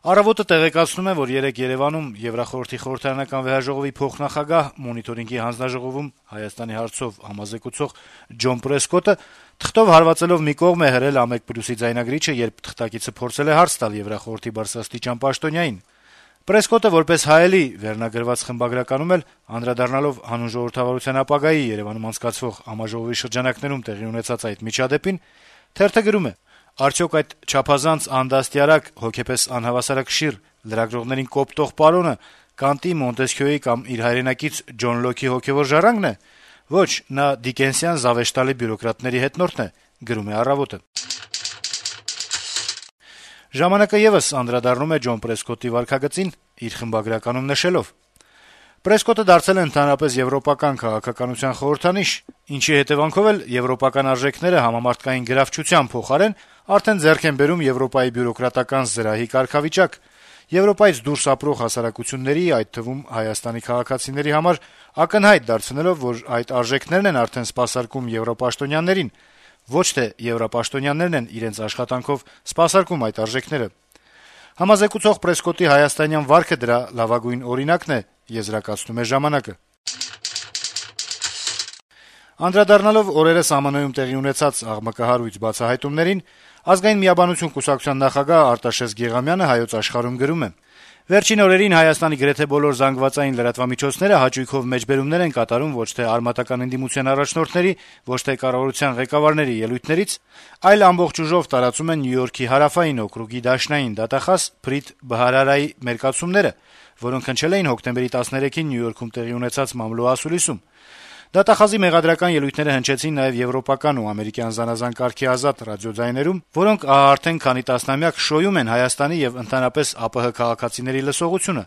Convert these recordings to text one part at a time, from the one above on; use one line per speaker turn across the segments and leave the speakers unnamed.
Առավոտը տեղեկացնում է, որ երեկ Երեւանում Եվրախորհրդի խորհրդարանական վեհաժողովի փոխնախագահ, Մոնիտորինգի հանձնաժողովում Հայաստանի հարցով համազեկուցող Ջոն Պրեսկոտը թղթով հարվածելով մի կողմ է հրել ԱՄԵԿ+-ի ձայնագրիչը, երբ թղթակիցը փորձել է հարց տալ Եվրախորհրդի բարձրաստիճան պաշտոնյային։ Պրեսկոտը որպես հայելի վերնագրված խմբագրականում էլ անդրադառնալով հանուն ժողովրդավարության ապագայի Երեւանում անցկացվող համաժողովի շրջանակներում տեղի ունեցած այդ միջադեպին, թերթը գրում է. «Արդյոք այդ չափազանց անդաստիարակ, հոգեպես անհավասարակշիռ լրագրողներին կոպտող պարոնը Կանտի, Մոնտեսքյոյի կամ իր հայրենակից Ջոն Լոքի հոգեվոր ժառանգն է։ Ոչ, նա դիկենսյան զավեշտալի բյուրոկրատների հետնորդն է», գրում է «Առավոտը»։ «Ժամանակ»-ը եւս անդրադառնում է Ջոն Պրեսկոտի վարքագծին, իր խմբագրականում նշելով. Պրեսկոտը դարձել է ընդհանրապես եվրոպական քաղաքականության խորհրդանիշ, ինչի հետեւանքով էլ եվրոպական արժեքները համամարտկային գրավչության փոխարեն արդեն ձեռք են բերում Եվրոպայի բյուրոկրատական զրահի կարգավիճակ, Եվրոպայից դուրս ապրող հասարակությունների, այդ թվում Հայաստանի քաղաքացիների համար ակնհայտ դարձնելով, որ այդ արժեքներն են արդեն սպասարկում եվրոպաշտոնյաներին, ոչ թե եվրոպաշտոնյաներն են իրենց աշխատանքով սպասարկում այդ արժեքները։ Համազեկուցող Պրեսկոտի հայաստանյան վարքը դրա լավագույն օրինակն է, եզրակացնում է «Ժամանակ»-ը։ Անդրադառնալով օրերս ԱՄՆ-ում տեղի ունեցած աղմկահարույց բացահայտումներին, Ազգային միաբանություն կուսակցության նախագահ Արտաշես Գեղամյանը «Հայոց Աշխարհ»-ում գրում է. - «Վերջին օրերին Հայաստանի գրեթե բոլոր զանգվածային լրատվամիջոցները հաճույքով մեջբերումներ են կատարում ոչ թե արմատական ընդդիմության առաջնորդների, ոչ թե կառավարության ղեկավարների ելույթներից, այլ ամբողջ ուժով տարածում են Նյու Յորքի հարավային օկրուգի դաշնային դատախազ Փրիթ Բհարարայի մերկացումները, որոնք հնչել էին հոկտեմբերի 13-ին Նյու Յորքում տեղի ունեցած մամլո ասուլիսում։ Դատախազի մեղադրական ելույթները հնչեցին նաև եվրոպական ու ամերիկյան զանազան կարգի ազատ ռադիոձայներում, որոնք արդեն քանի տասնամյակ շոյում են Հայաստանի եւ ընդհանրապես ԱՊՀ քաղաքացիների լսողությունը։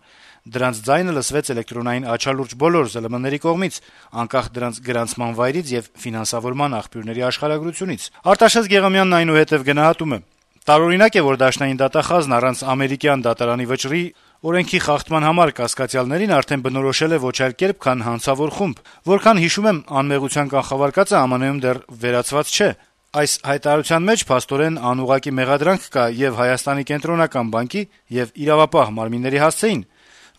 Դրանց ձայնը լսվեց էլեկտրոնային աչալուրջ բոլոր ԶԼՄ-ների կողմից, անկախ դրանց գրանցման վայրից եւ ֆինանսավորման աղբյուրների աշխարհագրությունից»։ Արտաշես Գեղամյանն այնուհետեւ գնահատում է. «Տարօրինակ է, որ դաշնային դատախազն առանց ամերիկյան դատարանի վճռի օրենքի խախտման համար կասկածյալներին արդեն բնորոշել է ոչ այլ կերպ, քան հանցավոր խումբ։ Որքան հիշում եմ, անմեղության կանխավարկածը ԱՄՆ-ում դեռ վերացված չէ։ Այս հայտարարության մեջ փաստորեն անուղղակի մեղադրանք կա եւ Հայաստանի կենտրոնական բանկի եւ իրավապահ մարմինների հասցեին,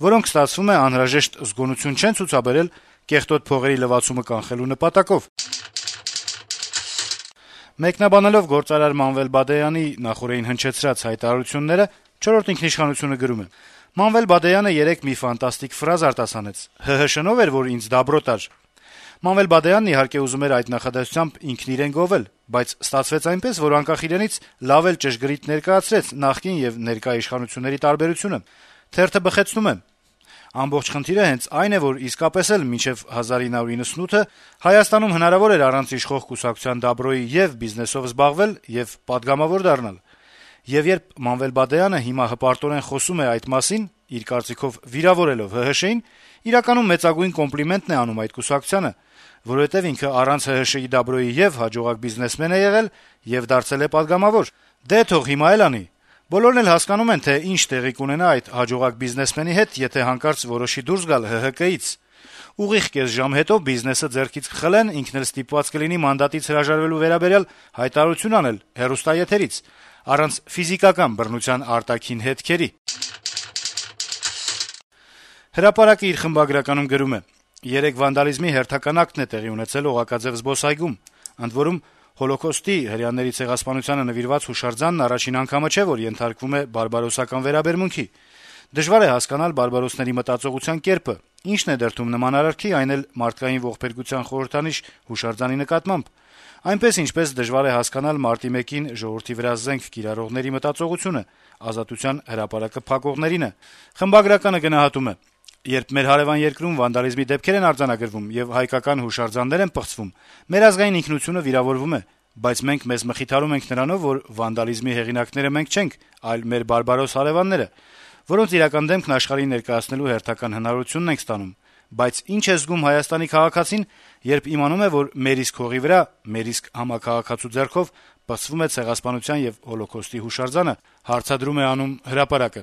որոնք ստացվում է անհրաժեշտ զգոնություն չեն ցուցաբերել կեղտոտ փողերի լվացումը կանխելու նպատակով»։ Մեկնաբանելով գործարար Մանվել Բադեյանի նախօրեին հնչեցրած հայտարարությունները, «Չորրորդ ինքնիշխանություն»-ը գրում է. Մանվել Բադեյանը երեկ մի ֆանտաստիկ ֆրազ արտասանեց. «ՀՀՇ-նով էր, որ ինձ դաբրոտ ար»։ Մանվել Բադեյանն իհարկե ուզում էր այդ նախադասությամբ ինքն իրեն գովել, բայց ստացվեց այնպես, որ անկախ իրենից լավ էլ ճշգրիտ ներկայացրեց նախկին եւ ներկա իշխանությունների տարբերությունը։ Թերթը բխեցնում է. «Ամբողջ խնդիրը հենց այն է, որ իսկապես էլ մինչեւ 1998-ը Հայաստանում հնարավոր էր առանց իշխող կուսակցության դաբրոյի եւ բիզնեսով զբաղվել եւ պատգամավոր դառնալ։ Եվ երբ Մանվել Բադեյանը հիմա հպարտորեն խոսում է այդ մասին, իր կարծիքով վիրավորելով ՀՀՇ-ին, իրականում մեծագույն կոմպլիմենտն է անում այդ կուսակցությանը, որովհետեւ ինքը առանց ՀՀՇ-ի դաբրոյի եւ հաջողակ բիզնեսմեն է եղել եւ դարձել է պատգամավոր։ Դե թող հիմա էլ անի։ Բոլորն էլ հասկանում են, թե ինչ տեղի կունենա այդ հաջողակ բիզնեսմենի հետ, եթե հանկարծ որոշի դուրս գալ ՀՀԿ-ից։ Ուղիղ կես ժամ հետո բիզնեսը ձեռքից կխլեն, ինքն էլ ստիպված կլինի մանդատից հրաժարվելու վերաբերյալ հայտարարություն անել հեռուստաեթերից, առանց ֆիզիկական բռնության արտաքին հետքերի»։ Հրապարակը իր խմբագրականում գրում է. - «Երեկ վանդալիզմի հերթական ակտն է տեղի ունեցել Օղակաձև զբոսայգում, ընդ որում Հոլոկոստի հրեաների ցեղասպանությանը նվիրված հուշարձանն առաջին անգամը չէ, որ ենթարկվում է բարբարոսական վերաբերմունքի։ Դժվար է հասկանալ բարբարոսների մտածողության կերպը, ինչն է դրդում նման արարքի, այն էլ մարդկային ողբերգության խորհրդանիշ հուշարձանի նկատմամբ։ Այնպես ինչպես դժվար է հասկանալ մարտի 1-ին ժողովրդի վրա զենք կիրառողների մտածողությունը, Ազատության հրապարակը փակողներինը»։ Խմբագրականը գնահատում է. «Երբ մեր հարեւան երկրում վանդալիզմի դեպքեր են արձանագրվում եւ հայկական հուշարձաններ են պղծվում, մեր ազգային ինքնությունը վիրավորվում է, բայց մենք մեզ մխիթարում ենք նրանով, որ վանդալիզմի հեղինակները մենք չենք, այլ մեր բարբարոս հարեւանները, որոնց իրական դեմքն աշխարհին ներկայացնելու հերթական հնարավորությունն ենք ստանում։ Բայց ինչ է զգում Հայաստանի քաղաքացին, երբ իմանում է, որ մեր իսկ հողի վրա, մեր իսկ համաքաղաքացու ձեռքով պղծվում է ցեղասպանության եւ Հոլոկոստի հուշարձանը», հարցադրում է անում Հրապարակը։